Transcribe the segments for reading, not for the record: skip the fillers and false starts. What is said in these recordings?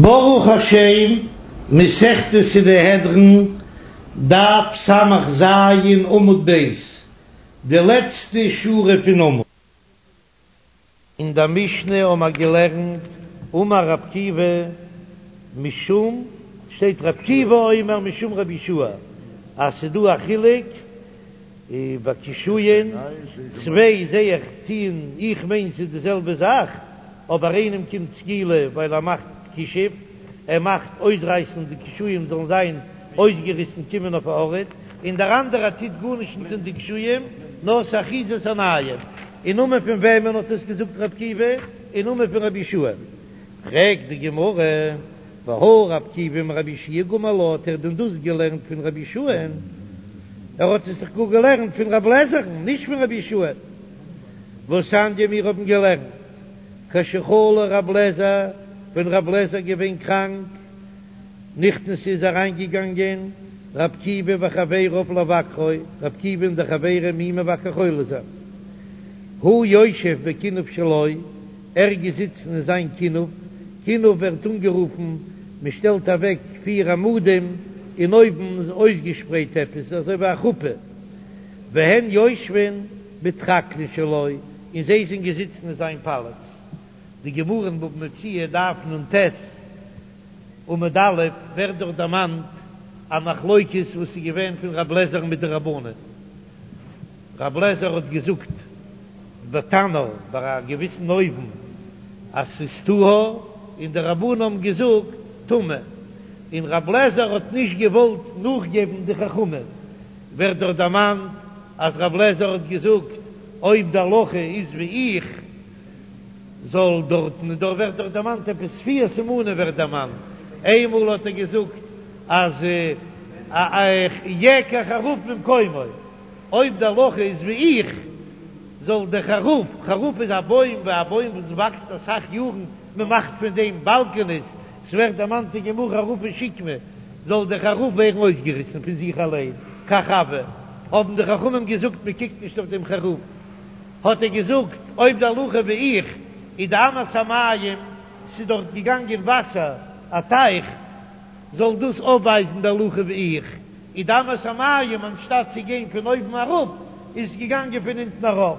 ברוך השם, מסכת סנהדרין, דף ס"ז עמוד ב', די לעצטע שורה פון עמוד. אין דער משנה האבן מיר געלערנט, אמר רב עקיבא משום, שטייט רב עקיבא אומר משום רבי יהושע, אז ס'איז דא א חילוק ביי קישואים, צוויי זע איך טוען, איך מיין ס'איז די זעלבע זאך, אבער איינעם קומט סקילה ווייל ער מאכט כישוף, ער מאכט אויסרייסן די קישואים זאלן זיין אויסגעריסן קומען אויף א ארט, און דער אנדערער טוט גארנישט נישט אין די קישואים נאר ס'איז אחיזת עיניים. אין נאמען פון וועמען האט עס געזאגט רב עקיבא? אין נאמען פון רבי יהושע. פרעגט די גמרא, והא רב עקיבא מרבי יהושע גמר לה, האט ער דען דאס געלערנט פון רבי יהושע'ן? ער האט עס דאך גאר געלערנט פון רב לעזער'ן, נישט פון רבי יהושע. והתניא מיר האבן געלערנט, כשחלה רב לעזער, ווען רב לעזער געווען קראנק, נכנסו איז אריינגעגאנגען רב עקיבא וחביריו לבקרו, רב עקיבא און די חברים אים מבקר חולה זיין. הוא יושב בכינוף שלו, ער איז געזיצן אין זיין כינוף, כינוף ווערט אנגערופן, מען שטעלט אוועק פיר עמודים און אויבן איז אויסגעשפרייט עפעס אזוי ווי א חופה, והן יושבין בטרקלין שלו, און זיי זענען געזיצן אין זיין פאלאץ. די גמרא אין בבא מציעא דף נ"ט עמוד א' ווערט דארט דערמאנט א מחלוקת וואס איז געווען פון רב לעזער מיט די רבנן. רב לעזער האט געזאגט בתנור ביי א געוויסן אויוון אז ס'איז טהור, און די רבנן האבן געזאגט טמא, און רב לעזער האט נישט געוואלט נאכגעבן די חכמים. ווערט דארט דערמאנט אז רב לעזער האט געזאגט אויב די הלכה איז ווי איך זאל דארטן, און דארט ווערט דאך דערמאנט עפעס פיר סימנים ווערט דערמאנט, איינמאל האט ער געזאגט אז יעקר חרוב ממקומו, אויב די הלכה איז ווי איך זאל דער חרוב, חרוב איז א בוים ווי א בוים וואס וואקסט אסאך יארן, מען מאכט פון דעם באלקענעס, ס'ווערט דערמאנט אין גמרא חרובי שקמה, זאל דער חרוב ווערן אויסגעריסן פון זיך אליין, כך הוה, האבן די חכמים געזאגט מען קוקט נישט אויף דעם חרוב, האט ער געזאגט אויב די הלכה ווי איך איז די אמת המים, ס'איז דארט געגאנגען וואסער, א טייך, זאל דאס אויפווייזן די הלכה ווי איך, איז די אמת המים אנשטאט צו גיין פון אויבן אראפ איז עס געגאנגען פון אונטן ארויף,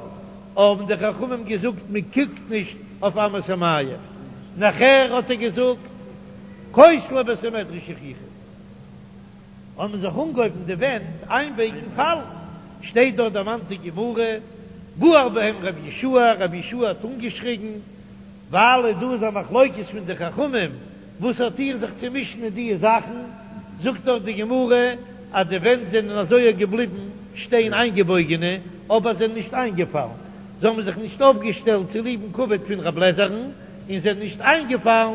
האבן די חכמים געזאגט מען קוקט נישט אויף אמת המים, נאכער האט ער געזאגט כותלי בית המדרש יוכיחו, האבן זיך אנגעהויבן די ווענט איינבייגן פאלן, שטייט דארט דערמאנט אין גמרא, גער בהם רבי יהושע, רבי יהושע האט אנגעשריגן, ווייל דא איז א מחלוקת פון די חכמים, וואס האט איר זיך צו מישן אין די זאכן, זאגט דארט די גמרא אז די ווענט זענען אזוי געבליבן שטיין איינגעבויגענע, אבער זענען נישט איינגעפאלן, זיי האבן זיך נישט אויפגעשטעלט צוליבן כבוד פון רב לעזער'ן, און זענען נישט איינגעפאלן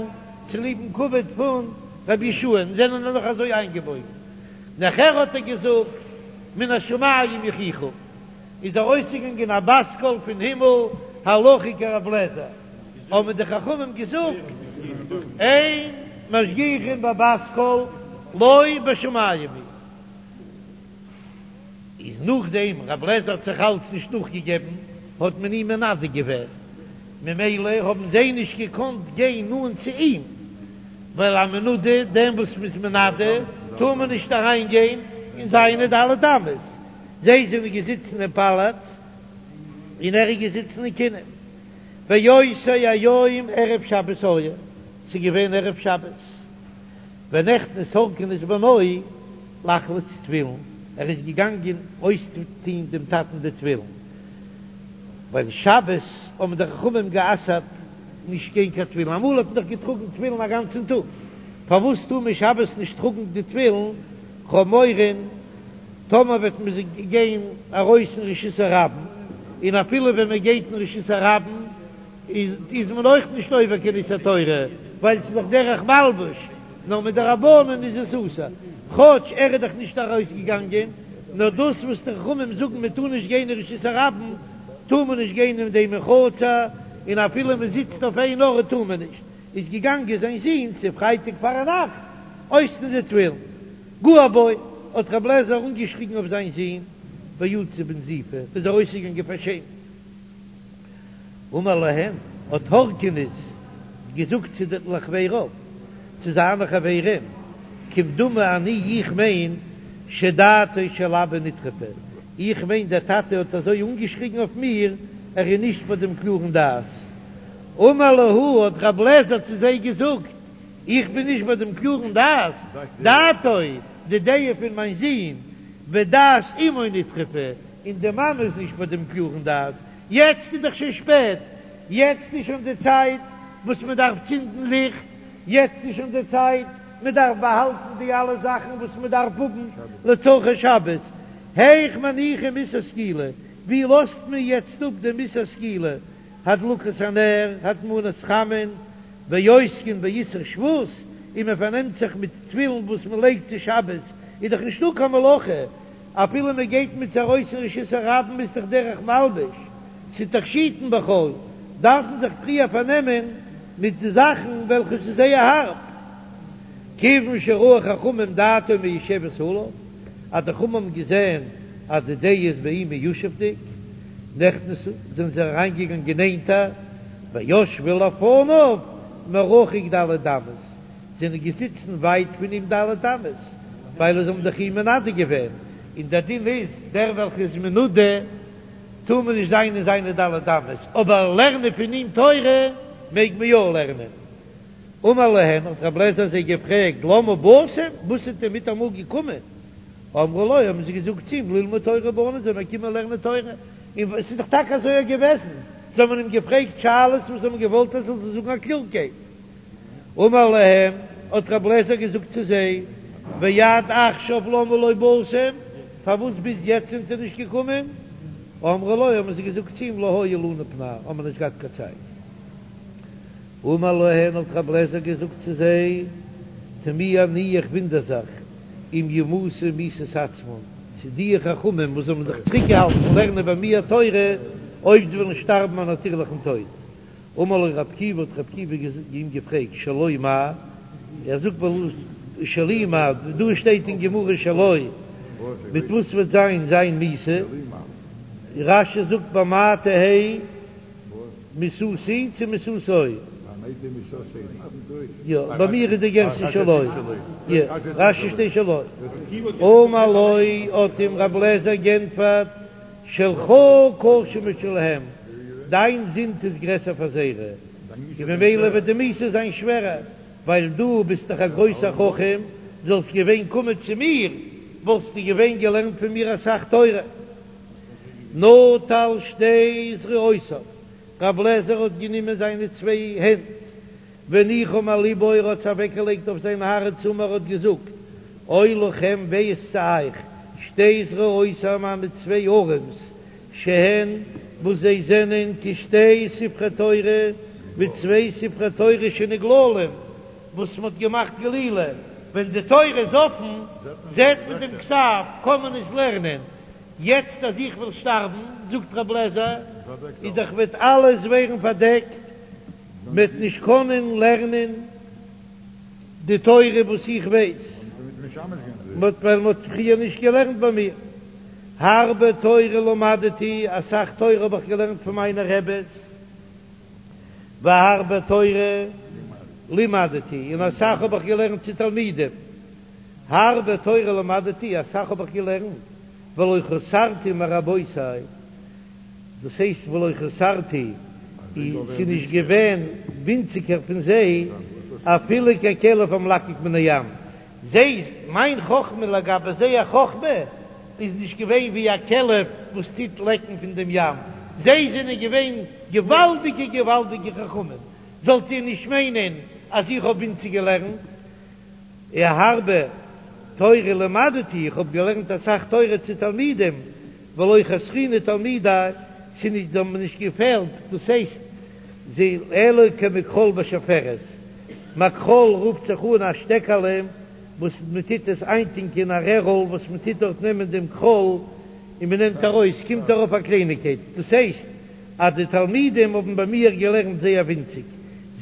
צוליבן כבוד פון רבי יהושע'ן, זענען נאך אזוי איינגעבויגן. נאכער האט ער געזאגט מן השמים יוכיחו, איז ארויסגעגאנגען א בת קול פון הימל, הלכה כרב לעזער, האבן די חכמים געזאגט, אין משגיחין בבת קול לא בשמים היא. איז נאכדעם רב לעזער האט זיך אלץ נישט נאכגעגעבן, האט מען אים מנדה געווען, ממילא האבן זיי נישט געקאנט גיין נאנט צו אים, ווייל א מנודה, דעם וואס מ'איז מנדה, טאר מען נישט אריין גיין אין זיינע ד' אמות, זיי זענען געזיצן אין פאלאץ און ער איז געזיצן אין כינוף, ואותו היום ערב שבת היה, ס'איז געווען ערב שבת, ונכנס הורקנוס בנו לחלוץ תפילין, ער איז געגאנגען אויסטוהן דעם טאטן די תפילין, ווייל שבת האבן די חכמים גע'אסר'ט נישט גיין קיין תפילין, אמאל האט מען דאך געטראגן תפילין א גאנצן טאג, פארוואס טאר מען שבת נישט טראגן די תפילין, כ'האב מורא טאמער וועט מען זיך גיין ארויס אין רשות הרבים, און אפילו ווען מען גייט אין רשות הרבים איז מען אויך נישט עובר קיין איסור תורה, ווייל ס'איז דאך דרך מלבוש, נאר מדרבנן איז עס אסור, כאטש ער איז דאך נישט ארויסגעגאנגען, נאר דאס וואס די חכמים זאגן מען טאר נישט גיין אין רשות הרבים, טאר מען נישט גיין אין דעם אין חצר, און אפילו מען זיצט אויף איין ארט טאר מען נישט, איז געגאנגען זיין זון צו פרייטאג פארנאכט אויסטון די תפילין. גער בו, האט רב לעזער אנגעשריגן אויף זיין זון, ויצא בנזיפה, איז ארויסגעגאנגען פארשעמט. אמר להם, האט הורקנוס געזאגט צו די לחבריו. צו זיינע חברים, כמדומה אני איך מיין שדעתו של אבא נטרפה, איך מיין דער טאטע האט אזוי אנגעשריגן אויף מיר, ער איז נישט ביי דעם קלארן דעת. אמר להו האט רב לעזער צו זיי געזאגט, איך בין נישט ביי דעם קלארן דעת, דעתו, די דעה פון מיין זון, ודעת אמו נטרפה, און די מאמע איז נישט ביי דעם קלארן דעת, יעצט איז דאך שוין שפעט, יעצט איז שוין די צייט וואס מען דארף צינדן ליכט, יעצט איז שוין די צייט מען דארף באהאלטן די אלע זאכן וואס מען דארף האבן לצרכי שבת, היאך מניחים איסור סקילה, ווי לאזט מען יעצט אפ דעם איסור סקילה, הדלקת הנר, הטמנת חמין, ועוסקין באיסור שבות, און מען פארנעמט זיך מיט תפילין וואס מען לייגט צו שבת, איז דאך נישטא קיין מלאכה, אפילו מען גייט מיט זיי ארויס אין רשות הרבים איז דאך דרך מלבוש, ס'איז תכשיטין בחול, דארף מען זיך פריער פארנעמען מיט די זאכן וועלכע ס'איז זייער הארב. כיוון שראו חכמים דעתו מיושבת עליו, אז די חכמים האבן געזען אז די דעה איז ביי אים מיושב'דיג, נכנסו, זענען זיי אריינגעגאנגען נענטער, וישבו לפניו מרחוק ד' אמות, זענען געזיצן ווייט פון אים ד' אמות, ווייל זיי האבן דאך אים מנדה געווען, און דער דין איז, דער וועלכער איז מנודה טאר מען נישט זיין אין זיינע ד' אמות, אבער לערנען פון אים תורה מעג מען יא לערנען. אמר להן, האט רב לעזער זיי געפרעגט, למה באתם, וואס זענט איר מיטאמאל געקומען? אמרו לו, האבן זיי געזאגט צו אים, ללמוד תורה באנו, זענען מיר געקומען לערנען תורה, און עס איז דאך טאקע אזוי געוועזן, זיי האבן אים געפרעגט שאלות וואס זיי האבן געוואלט ער זאל זיי זאגן א קלארקייט. אמר להם, האט רב לעזער געזאגט צו זיי, ועד עכשיו למה לא באתם, פארוואס ביז יעצט זענט איר נישט געקומען? אמרו לו, האבן זיי געזאגט צו אים, לא היה לנו פנאי, האבן מיר נישט געהאט קיין צייט. אמר להן, האט רב לעזער געזאגט צו זיי, תמי אני, איך וואונדער זיך, אם ימותו מיתת עצמן, צו די חכמים וואס האבן זיך צוריקגעהאלטן פון לערנען ביי מיר תורה, אויב זיי וועלן שטארבן א נאטירליכן טויט. אמר לו רב עקיבא, האט רב עקיבא אים געפרעגט, שלו מאי? ער זאגט בלשון שלי מאי, דא שטייט אין גמרא שלו, מיט וואס וועט זיין זיין מיתה? רש"י זאגט במה תהא מיתתי צו מיתתו? יא, ביי מיר איז די גירסא שלו, יא, רש"י שטייט שלו. אמר לו, האט אים רב לעזער גענטפערט, שלך קשה משלהם, דיין זינד איז גרעסער פאר זייערע, און ממילא וועט די מיתה זיין שווערער, ווייל דו ביסט דאך א גרויסער חכם, זאלסט געווען קומען צו מיר, וואלסטו געווען געלערנט פון מיר אסאך תורה. נטל שתי זרועותיו, רב לעזער האט גענומען זיינע צוויי הענט, והניחם על לבו, ער האט זיי אוועקגעלייגט אויף זיין הארץ, אמר האט געזאגט, אוי לכם וויי איז צו אייך, שתי זרועותי מיינע צוויי ארעמס, שהן וואס זיי זענען כשתי ספרי תורה, ווי צוויי ספרי תורה שנגללים, וואס מען האט געמאכט גלילה, ווען די תורה איז אפן זעט מען דעם כתב, קען מען עס לערנען, יעצט אז איך וועל שטארבן, זאגט רב לעזער, איז דאך וועט אלעס ווערן פארדעקט, מ'וועט נישט קענען לערנען די תורה וואס איך ווייס, ווייל מ'האט פריער נישט געלערנט ביי מיר. הרבה תורה למדתי, אסאך תורה האב איך געלערנט פון מיינע רעבעס, והרבה תורה לימדתי, און אסאך האב איך געלערנט צו תלמידים. הרבה תורה למדתי, אסאך האב איך געלערנט, ולא חסרתי מרבותי, דאס הייסט ולא חסרתי, ס'איז נישט געווען ווינציגער פון זיי, אפילו ככלב המלקק מן הים, זיי, מיין חכמה לגבי זייער חכמה, איז נישט געווען ווי א כלב וואס טוט לעקן פון דעם ים, זיי זענען געווען געוואלדיגע געוואלדיגע חכמים, זאלט איר נישט מיינען אז איך האב ווינציג געלערנט. הרבה תורה למדתי, איך האב געלערנט אסאך תורה צו תלמידים, ולא חסרוני תלמידי, ס'איז נישט, זיי האבן מיר נישט געפעלט, דאס הייסט, זיי אלא כמכחול בשפופרת, מכחול רופט זיך אן א שטעקעלע וואס מען טוט עס איינטונקען א רערל וואס מען טוט דארט נעמען דעם כחול און מען נעמט ארויס, קומט ארויף א קלייניגקייט, דאס הייסט אז די תלמידים האבן ביי מיר געלערנט זייער ווינציג,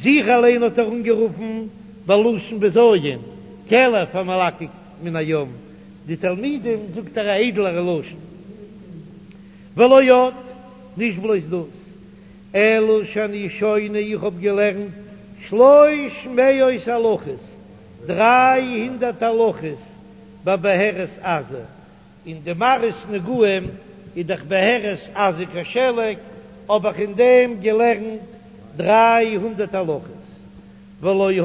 זיך אליין האט ער אנגערופן בלשון בזיון, כלב המלקק מן הים, די תלמידים זאגט ער א איידלערע לשון. ולא עוד, נישט בלויז דאס, אלא שאני שונה איך האב געלערנט שלוש מאות הלכות. 300 הלכות בבהרת עזה, אין די מראות נגעים איז דאך בהרת עזה כשלג, האב איך אין דעם געלערנט 300 הלכות. ולא היה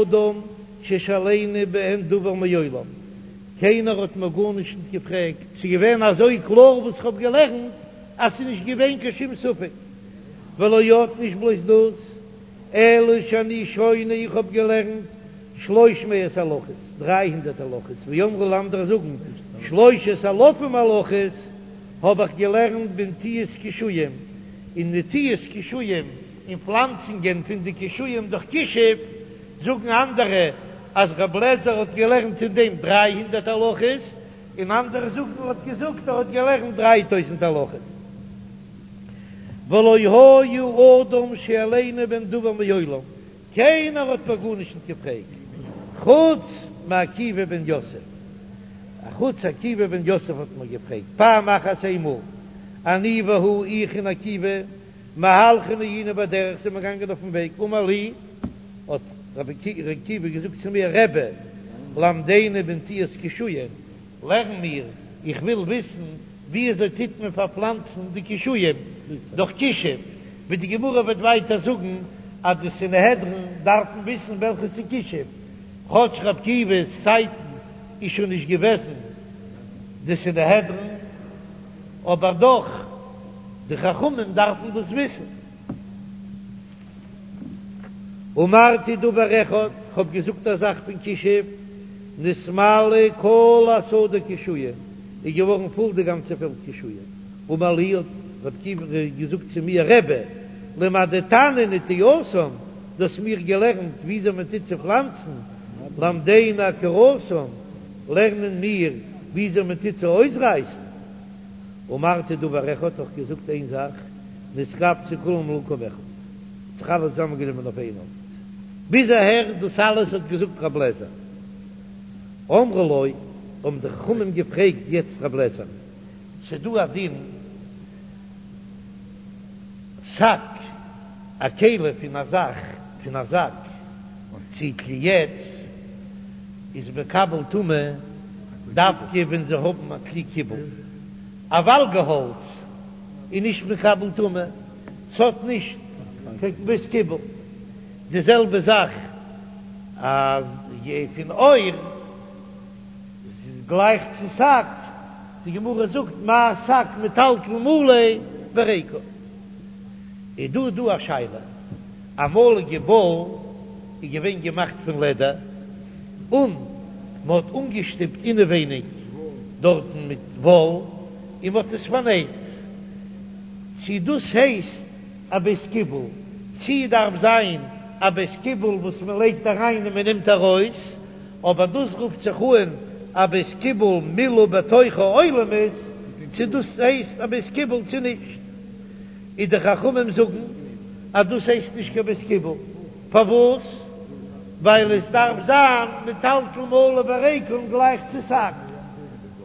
אדם ששאלני בהן דבר מעולם, קיינער האט מיר גארנישט נישט געפרעגט, ס'איז געווען אזוי קלאר וואס כ'האב געלערנט אז ס'איז נישט געווען קיין שום ספק. ולא עוד נישט בלויז דאס, אלא שאני שונה איך האב געלערנט שלוש מאות הלכות, 300 הלכות, ואמרי לה אנדערע זאגן שלושת אלפים הלכות, האב איך געלערנט בנטיעת קישואים, אין נטיעת קישואים, אין פלאנצונגען פון די קישואים דורך כישוף, זאגן אנדערע אז רב לעזער האט געלערנט אין דעם 300 הלכות, און אנדערע זאגן ער האט געזאגט ער האט געלערנט 3000 הלכות. ולא היה אדם שואלני בהן דבר מעולם, קיינער האט מיר גארנישט נישט געפרעגט, חוץ מעקיבא בן יוסף, אחוץ עקיבא בן יוסף האט מיר געפרעגט פעם אחת איינמאל, אני והוא איך און עקיבא, מהלכין היינו בדרך זענען מיר געגאנגען אויפן וועג, אמר לי, האט רבי עקיבא געזאגט צו מיר, רבי, למדני בנטיעת קישואים, לערן מיר, איך וויל וויסן ווי אזוי טוט מען פארפלאנצן די קישואים דורך כישוף, ווי די גמרא וועט ווייטער זאגן אז די סנהדרין דארפן וויסן וועלכע ס'איז כישוף, כאטש רבי עקיבא'ס צייטן איז שוין נישט געוועזן די סנהדרין, אבער דאך די חכמים דארפן דאס וויסן. אמרתי דבר אחד, כ'האב געזאגט א זאך פון כישוף, נתמלאה כל השדה קישואים, איז געווארן פול די גאנצע פעלד קישואים. אמר לי, האט רבי עקיבא געזאגט צו מיר, רבי, למדתני נטיעתם, דו האסט מיר געלערנט וויאזוי מען טוט צו פלאנצן, למדני עקירתם, לערנען מיר וויאזוי מען טוט צו אויסרייסן. אמרתי דבר אחד, האב איך געזאגט איין זאך, נתקבצו כולם למקום אחד, האט זיך אלע צוזאמענגענומען אויף איין ארט. ביז אהער דאס אלעס האט געזאגט רב לעזער. אמרו לו, האבן די חכמים געפרעגט יעצט רב לעזער, ס'דא א דין שק, א כלי פון א זאך, פון א זאק, צי כלי עץ, איז מקבל טומאה דווקא ווען זיי האבן א כלי קיבול. א וואלגערהאלץ איז נישט מקבל טומאה, ס'האט נישט קיין בית קיבול. די זעלבע זאך אז פון עור איז גלייך צו שק, די גמרא זאגט מה שק מטלטל מלא וריקן. איז דא דא א שאלה, אמאליגע באל איז געווען געמאכט פון לעדער, און מען האט אנגעשטופט אינעווייניג דארטן מיט וואל, און מען האט עס פארנייט, צי דאס הייסט א בית קיבול, צי דארף זיין א בית קיבול וואס מען לייגט אריין און מען נעמט ארויס, אבער דאס רופט זיך אן א בית קיבול מילאו בתוכו עולמית, צי דאס הייסט א בית קיבול צי נישט. איז די חכמים זאגן אז דאס הייסט נישט קיין בית קיבול, פארוואס? ווייל עס דארף זיין מטלטל מלא וריקן גלייך צו שק.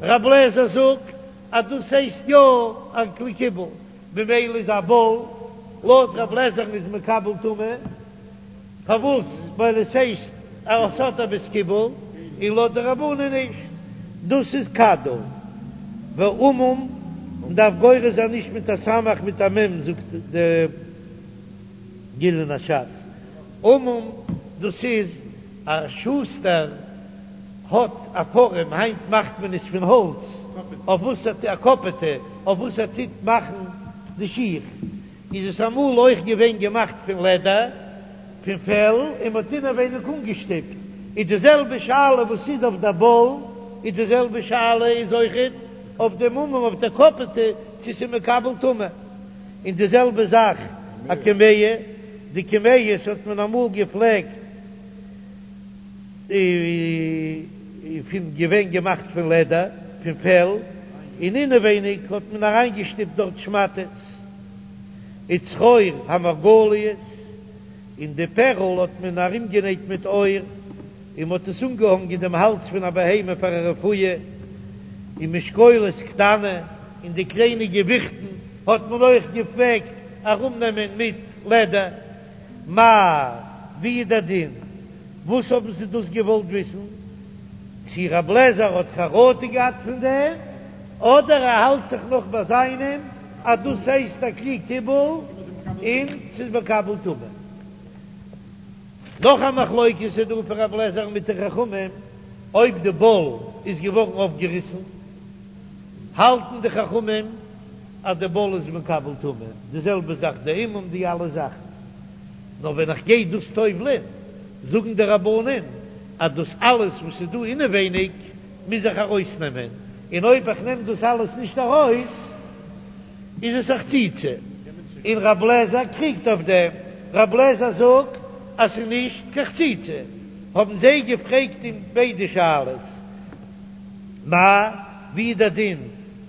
רב לעזער זאגט אז דאס הייסט יא א כלי קיבול, ממילא איז א באל לויט רב לעזער'ן איז מקבל טומאה. פארוואס? ווייל עס הייסט אז עס האט א בית קיבול, און לויט די רבנן נישט. דאס איז כדור ועמום, מען דארף גורס זיין נישט מיט א סמך מיט א מ' זאגט די גליון הש"ס. עמום דאס איז א שוסטער האט א פארעם, היינט מאכט מען עס פון האלץ, אויף וואס ער א קאפעטע אויף וואס ער טוט מאכן די שיך. איז עס אמאל אויך געווען געמאכט פון לעדער, פון פעל, און מ'האט אינעווייניג אנגעשטופט, איז די זעלבע שאלה וואס איז אויף דער באל, איז די זעלבע שאלה איז אויכעט אויף דעם עמום אויף דער קאפעטע צו ס'איז מקבל טומאה, און די זעלבע זאך א קמיע, די קמיעות האט מען אמאל געפלעגט פון געווען געמאכט פון לעדער, פון פעל, און אינעווייניג האט מען אריינגעשטופט דארט שמאטעס. וצרור המרגליות, און די פערל האט מען ארומגענייט מיט עור, און מ'האט עס אנגעהאנגען דעם האלז פון א בהמה פאר א רפואה, און משקולת קטנה, און די קליינע געוויכטן האט מען אויך געפלעגט ארומנעמען מיט לעדער. מהו, ווי איז דער דין? וואס האבן זיי דאס געוואלט וויסן? צי רב לעזער האט חרטה געהאט פון דעם, אדער ער האלט זיך נאך ביי זיינעם אז דאס הייסט א כלי קיבול און ס'איז מקבל טומאה. נאך א מחלוקת איז דא פון רב לעזער מיט די חכמים, אויב די באל איז געווארן אויפגעריסן, האלטן די חכמים אז די באל איז מקבל טומאה, די זעלבע זאך די אימום די אלע זאכן, נאר ווען איך גיי דאס טובל'ען זאגן די רבנן אז דאס אלעס וואס איז דא אינעווייניג מוז איך ארויסנעמען, און אויב איך נעם דאס אלעס נישט ארויס איז עס א חציצה, און רב לעזער קריגט אויף דעם, רב לעזער זאגט אז ס'איז נישט קיין חציצה, האבן זיי געפרעגט אים ביידע שאלות, מאי, ווי איז דער דין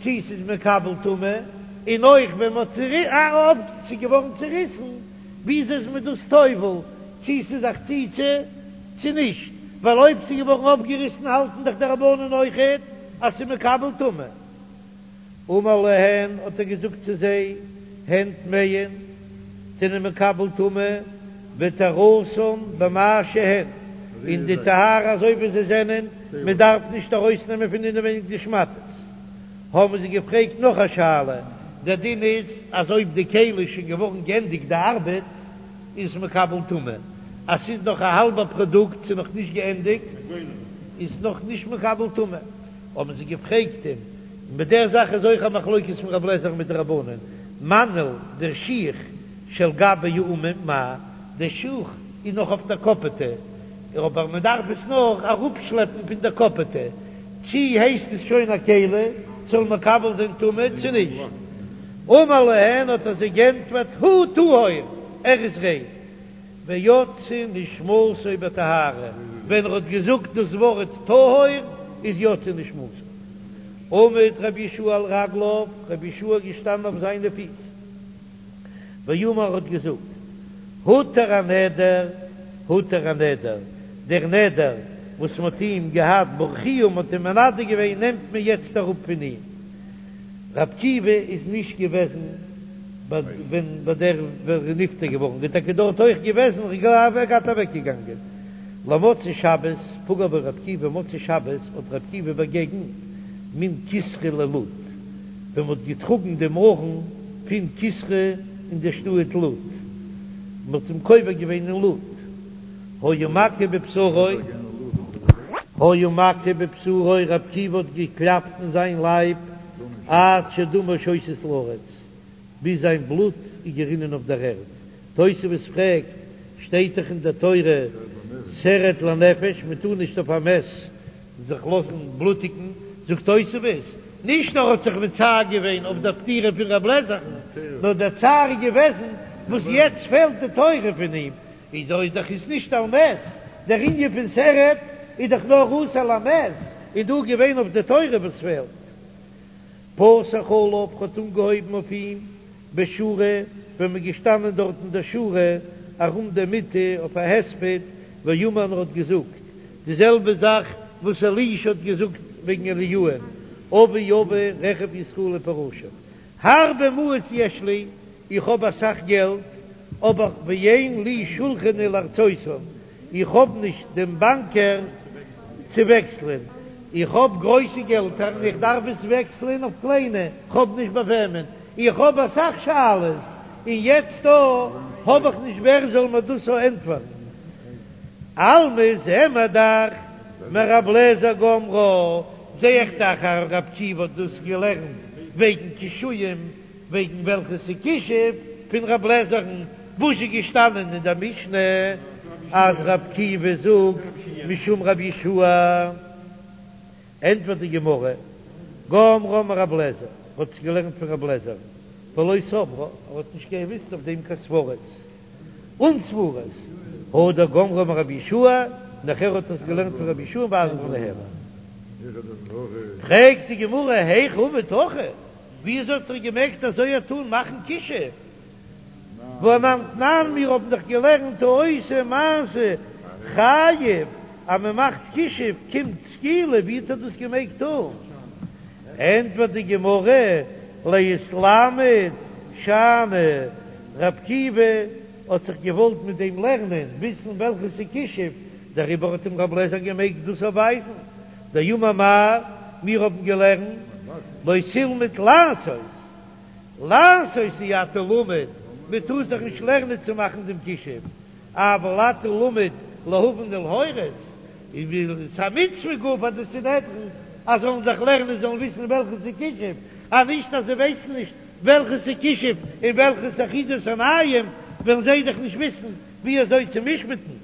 צי ס'איז מקבל טומאה, און אויך ווען מ'האט ס'איז געווארן צוריסן, וויאזוי איז מען דאס טובל, צי ס'איז א חציצה צי נישט, ווייל אויב ס'איז געווארן אויפגעריסן האלטן דאך די רבנן אויכעט אז ס'איז מקבל טומאה. אמר להן, האט ער געזאגט צו זיי, הן טמאין, זענען מקבל טומאה, וטהרתן במה שהן, און די טהרה אזוי ווי זיי זענען, מען דארף נישט ארויסנעמען פון אינעווייניג די שמאטעס. האבן זיי געפרעגט נאך א שאלה, דער דין איז אז אויב די כלי איז שוין געווארן גענדיגט די ארבעט, איז עס מקבל טומאה, אז ס'איז נאך א האלבע פראדוקט, ס'איז נאך נישט געענדיגט, איז נאך נישט מקבל טומאה. האבן זיי געפרעגט אים, און ביי דער זאך איז אויך א מחלוקת פון רב לעזער מיט די רבנן, מנעל דער שיך שעל גבי האומים מהו, דער שוך איז נאך אויף דער קאפעטע, אבער מען דארף עס נאך אראפשלעפן פון דער קאפעטע, צי הייסט עס שוין א כלי, זאל מקבל זיין טומאה צו נישט? אמר להן האט ער זיי גענטפערט, הוא טהור, ער איז ריין. ויצאה נשמתו בטהרה, ווען ער האט געזאגט דאס ווארט טהור איז יצאה נשמתו. עמד רבי יהושע על רגליו, רבי יהושע איז געשטאנען אויף זיינע פיס, ואמר האט געזאגט, הותר הנדר, הותר הנדר, דער נדר וואס מען האט אים געהאט ברכוהו, מען האט אים מנדה געווען, נעמט מען יעצט אראפ פון אים. ר' עקיבא איז נישט געוועזן ביי ווען ביי דער ווען ער איז נפטר געווארן, איז טאקע דארט אויך געוועזן, איך גלייב ער געהאט אוועק געגאנגען למוצאי שבת, פגע בו ר' עקיבא מוצאי שבת האט ר' עקיבא באגעגנט מן קיסרא ללוד, ווען מ'האט געטראגן דעם ארון פון קיסרא אין די שטאט לוד, מ'האט אים קובר געווען אין לוד. היה מכה בבשרו, היה מכה בבשרו, ר' עקיבא האט געקלאפט אין זיין לייב עד שדמו שותת לארץ, ביז זיין בלוט איז גערינען אויף דער ערד. תוספות פרעגט, שטייט דאך אין דער תורה תרד לנפש, מען טאר נישט אויף א מת זיך לאזן בלוטיגן, זאגט תוספות, נישט נאר האט זיך מצער געווען אויף דער פטירה פון ר' אליעזר'ן, נאר דער צער איז געוועזן וואס יעצט פעלט די תורה פון אים, איז דא איז דאך איז נישט על מת, דער ענין פון תרד איז דאך נאר אסור למת, איז דא געווען אויף די תורה וואס פעלט. פתח עליו האט אנגעהויבן אויף אים בשורה, ווען מ'איז געשטאנען דארט אין דער שורה ארום די מיטה אויף א הספד, ואמר און ער האט געזאגט די זעלבע זאך וואס אלישע האט געזאגט וועגן אליהו'ן, אבי אבי רכב ישראל ופרשיו, הרבה מעות יש לי, איך האב אסאך געלט, אבער ואין לי שולחני לרצותן, איך האב נישט דעם באנקער צו וועקסלען, איך האב גרויסע געלטער און איך דארף עס וועקסלען אויף קליינע, כ'האב נישט ביי וועמען, איך האב אסאך שאלות און יעצט דא האב איך נישט ווער זאל מיר דאס ענטפערן. אלמא זעען מיר דאך מרב לעזער גמרה, זע איך דאך אז רב עקיבא האט דאס געלערנט וועגן קישואים. וועגן וועלכע ס'איז כישוף פון רב לעזער'ן, וואס איז געשטאנען אין דער משנה אז רב עקיבא זאגט משום רב יהושע, ענטפערט די גמרא, גמרה מרב לעזער, האט עס געלערנט פון רב לעזער'ן, ולא סברה, ער האט נישט געוויסט אויף דעם קיין סברות אן סברות, הדר גמרה מרב יהושע, נאכער האט ער עס געלערנט פון רב יהושע ואזיל ניהלה. פרעגט די גמרא, היכי עביד הכי? וויאזוי האט ער געמעגט אזוי א טאן מאכן כישוף? והא אנן תנן מיר האבן דאך געלערנט העושה מעשה חייב אז מען מאכט כישוף קומט סקילה, ווי האט ער דאס געמעגט טאן? ענטפערט די גמרא, להתלמד שאני, רב עקיבא האט זיך געוואלט מיט דעם לערנען, וויסן וועלכעס איז כישוף. דעריבער האט אים רב לעזער געמעגט דאס אויפווייזן, דאמר מר, מיר האבן געלערנט לא תלמד לעשות, לעשות אי אתה למד, מען טאר זיך נישט לערנען צו מאכן דעם כישוף, אבל אתה למד להבין ולהורות, איז א מצוה גאר פאר די סנהדרין אז זאלן זיך לערנען זאלן וויסן וועלכע ס'איז כישוף, אז נישט אז זיי ווייסן נישט וועלכע ס'איז כישוף און וועלכע ס'איז אחיזת עיניים וועלן זיי דאך נישט וויסן ווי אזוי צו משפט'ן.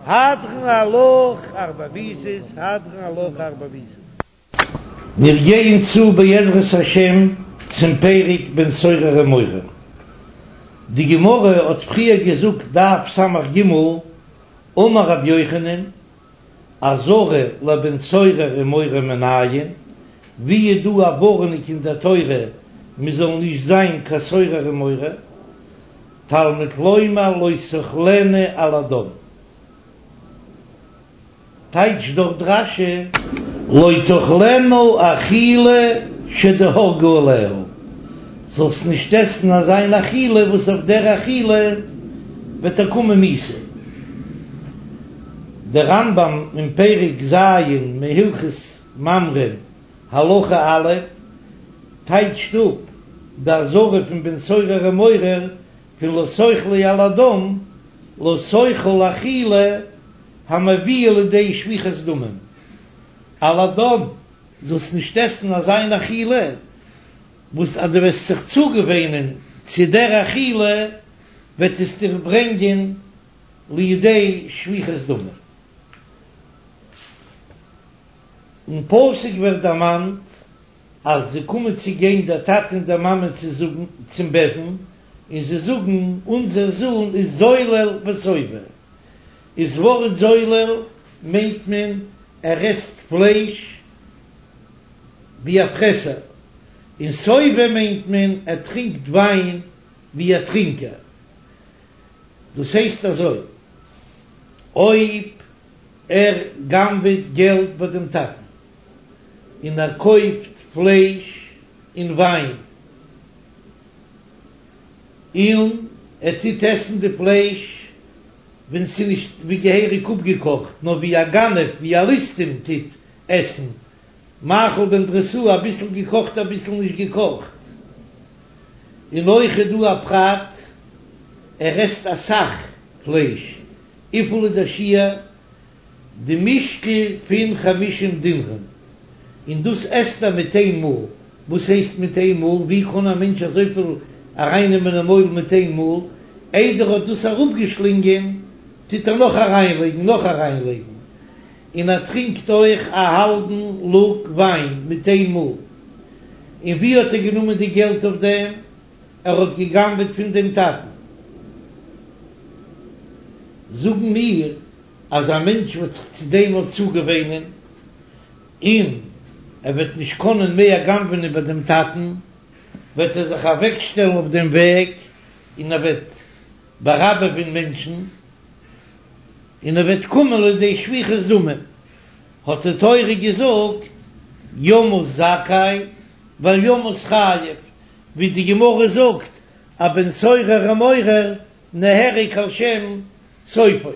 הדרן עלך ארבע מיתות, הדרן עלך ארבע מיתות. מיר גייען צו בעזרת השם צום פרק בן סורר ומורה. די גמרא האט פריער געזאגט דף ס"ג, אמר רבי יוחנן, אזהרה לבן סורר ומורה מנין, ווי איז דא א ווארענונג אין דער תורה מען זאל נישט זיין קיין סורר ומורה, תלמוד לומר לא תאכלנו על הדם. טייטשט דארט רש"י לא תאכלנו אכילה שתהרגו עליה, זאלסט נישט עסן אזא מין אכילה וואס אויף דער אכילה וועט דיר קומען מיתה. דער רמב"ם אין פרק ז' מהלכות ממרים הלכה א' טייטשט אפ די אזהרה פון בן סורר ומורה פון לא תאכלו על הדם לא תאכל אכילה המביאה לידי שפיכת דמים על הדם, זאלסט נישט עסן אזא מין אכילה וואס אז דו וועסט זיך צוגעוואינען צו דער אכילה וועט עס דיך ברענגען לידי שפיכת דמים. אין פסוק ווערט דערמאנט אז זיי קומען צו גיין דער טאטע און דער מאמע צו זאגן צום בית דין, און זיי זאגן אונזער זון איז זולל וסובא, איז ווארט זולל מיינט מען ער עסט פלייש ווי א פרעסער, און סובא מיינט מען ער טרינקט וויין ווי א טרינקער. דאס הייסט אזוי, אויב ער גנב'עט געלט ביי דעם טאטן און ער קויפט פלייש און וויין, און ער טוט עסן די פלייש ווען ס'איז נישט ווי געהעריג אפגעקאכט, נאר ווי א גנב, ווי א ליסטים טוט עסן, מאכל בן דרוסאי, אביסל געקאכט אביסל נישט געקאכט. און אויך איז דא א פרט, ער עסט אסאך פלייש, וויפיל איז דער שיעור? די משקל פון חמישים דינרים, און דאס עסט ער מיט איין מאל, וואס הייסט מיט איין מאל? ווי קען א מענטש אזויפיל ארייננעמען אין מויל מיט איין מאל? איידער ער האט דאס אראפגעשלינגען טוט ער נאך אריינלייגן, נאך אריינלייגן, און ער טרינקט אויך א האלבן לוג וויין מיט איין מאל. און ווי האט ער גענומען די געלט אויף דעם? ער האט גע'גנב'עט פון דעם טאטן. זאגן מיר אז א מענטש וועט זיך צו דעם אויך צוגעוואינען, און ער וועט נישט קענען מער גנב'ענען ביי דעם טאטן, וועט ער זיך אוועקשטעלן אויף דעם וועג, און ער וועט באראבעווען מענטשן, און ער וועט קומען לידי שפיכות דמים. האט די תורה געזאגט, ימות זכאי ואל ימות חייב, ווי די גמרא זאגט, א בן סורר ומורה נהרג על שם סופו.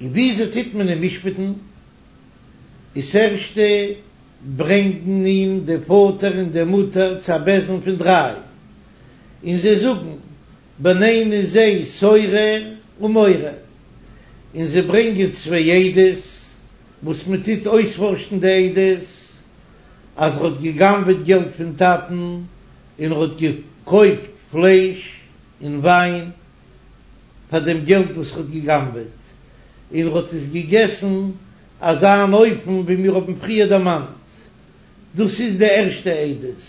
און וויאזוי טוט מען אים משפט'ן? איז ערשטע ברענגן אים די פאטער און די מוטער צו א בית דין פון דריי, און זיי זאגן, בנינו זה סורר ומורה, און זיי ברענגען צוויי עדות, וואס מען טוט אויספארשן די עדות, אז ער האט גע'גנב'עט געלט פון טאטן, און ער האט געקויפט פלייש און וויין פאר דעם געלט וואס ער האט גע'גנב'עט, און ער האט עס געגעסן אזא אן אופן ווי מיר האבן פריער דערמאנט. דאס איז די ערשטע עדות.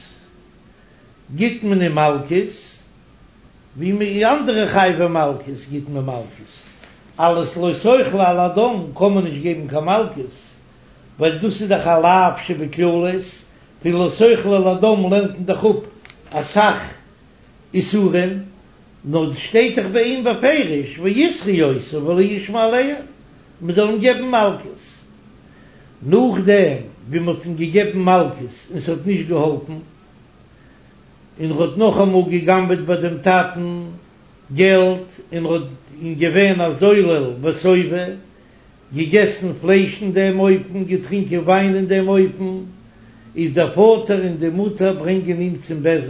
גיט מען אים מלקות, ווי מיט אנדערע חייבי מלקות גיט מען מלקות. אלס לא תאכלו על הדם קען מען נישט געבן קיין מלקות, ווייל דאס איז דאך א לאו שבכללות, פון לא תאכלו על הדם לערנט מען דאך אפ אסאך איסורים, נאר שטייט דאך ביי אים בפירוש ויתרו אותו ולא ישמע אליהם, מען זאל אים געבן מלקות. נאכדעם ווי מען האט אים געגעבן מלקות און ס'האט נישט געהאלפן, און ער האט נאכאמאל גע'גנב'עט ביי דעם טאטן. געלט און האט און געווען א זולל וסובא, געגעסן פלייש אין דעם אופן, געטרינקען וויין אין דעם אופן, איז דער פאטער און די מוטער ברענגען אים צום בית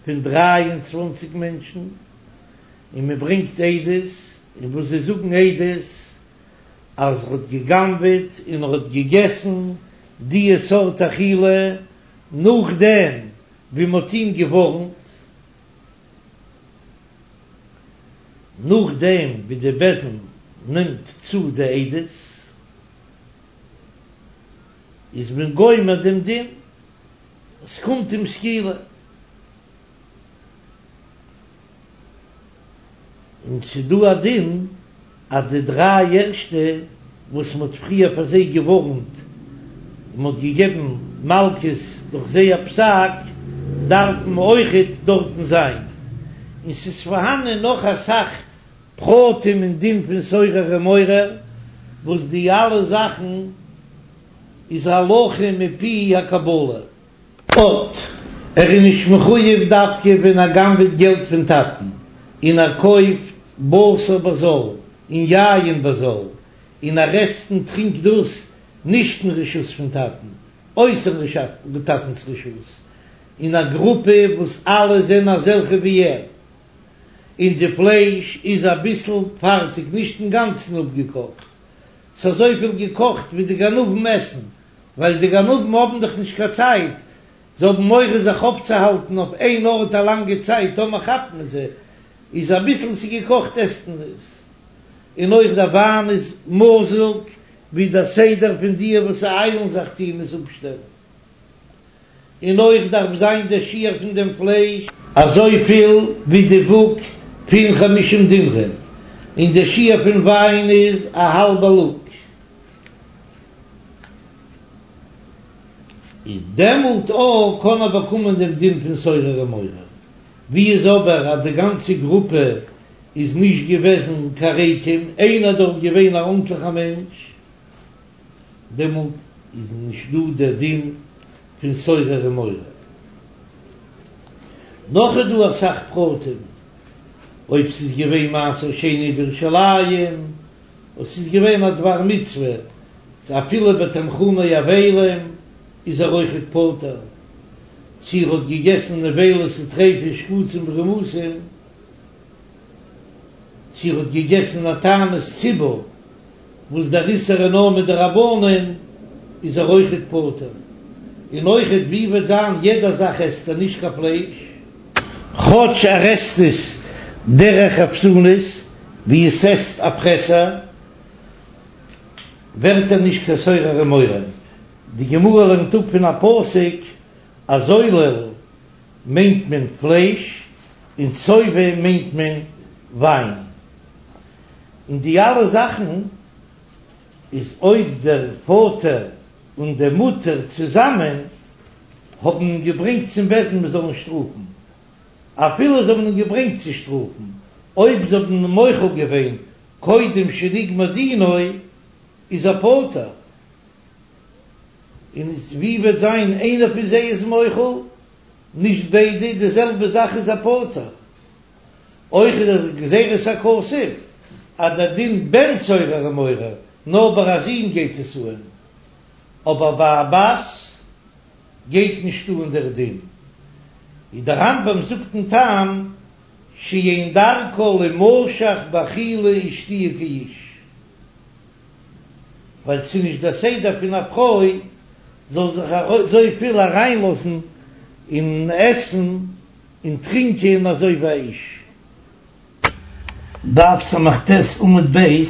דין פון 23 מענטשן, און מען ברענגט עדות, און וואס זיי זאגן עדות אז ער האט גע'גנב'עט און ער האט געגעסן דיע סארט אכילה נאכדעם ווי מען האט אים געווארנט, נאכדעם ווי די בית דין נעמט צו די עדות, איז מען גומר דעם דין, עס קומט אים סקילה. און ס'דא א דין אז די דריי ערשטע וואס מ'האט פריער פאר זיי געווארנט און מ'האט געגעבן מלקות דורך זייער פסק דארפן אויכעט דארטן זיין, און ס'איז פארהאנען נאך אסאך פרטים אין דין פון סורר ומורה וואס די אלע זאכן איז הלכה מפי הקבלה. אט, ער איז נישט מחויב דווקא ווען ער גנב'עט געלט פון טאטן, און ער קויפט בשר בזול און יין בזול, און ער עסט און טרינקט דאס נישט אין רשות פון טאטן, אויסער טאטנ'ס רשות, אין א גרופע וואס אלע זענען אזעלכע ווי ער, און די פלייש איז אביסל פארטיג נישט אינגאנצן אפגעקאכט, ס'איז אזויפיל געקאכט ווי די גנבים עסן, ווייל די גנבים האבן דאך נישט קיין צייט, זיי האבן מורא זיך אויפצוהאלטן אויף איין ארט א לאנגע צייט, טאמער כאפט מען זיי, איז אביסל ס'געקאכט עסט מען עס, און אויך דער וויין איז מזוג, ווי דער סדר פון די וואס איילן זיך טוען עס אפשטעלן. און אויך דארף זיין דער שיעור פון דעם פלייש אזויפיל ווי די וואג פון חמישים דינרים, און דער שיעור פון וויין איז א האלבע לוג. איז דעמאלט אויך קען ער באקומען דעם דין פון סורר ומורה. ווי איז אבער אז די גאנצע גרופע איז נישט געוועזן קיין ריקים, איינער דארט געווען א ארנטליכער מענטש, דעמאלט איז נישט דא דער דין פון סורר ומורה. נאך איז דא אסאך פרטים, אויב ס'איז געווען מעשר שני בירושלים, אויב ס'איז געווען א דבר מצוה, צו אפילו בתנחומי אבלים איז ער אויכעט פטור, צו ער האט געגעסן נבילות וטריפות שקצים ורמשים, צו ער האט געגעסן א תענית ציבור וואס דער איסור איז נאר מדרבנן איז ער אויכעט פטור, און אויכעט ווי וועט זיין יעדע זאך עסט ער נישט קיין פלייש. כאטש ער עסט עס דרך חפזונות ווי עס עסט א פרעסער ווערט ער נישט קיין סורר ומורה, די גמרא לערנט אפ פון א פסוק אז זולל מיינט מען פלייש און שובע מיינט מען וויין, און די אלע זאכן איז אויב דער פאטער און די מוטער צוזאמען האבן אים געברענגט צום בית דין מען זאל אים שטראפן, אפילו זיי האבן אים געברענגט צו שטראפן, אויב זיי האבן אים מוחל געווען קודם שנגמר דינו איז ער פטור, און ווי וועט זיין איינער פון זיי איז מוחל, נישט ביידע, די זעלבע זאך איז ער פטור. אויך איז דא גזירת הכתוב אז דער דין בן סורר ומורה נאר ביי א זון גייט עס אהן, אבער ביי א בת גייט נישט אהן דער דין, ווי דער רמב"ם זאגט אין טעם שאין דרכה לימשך באכילה ושתיה כאיש, ווייל ס'איז נישט דער סדר פון א פרוי זאל זיך אזויפיל אריינלאזן אין עסן און טרינקען אזוי ווי א איש. דף ס"ט עמוד ב',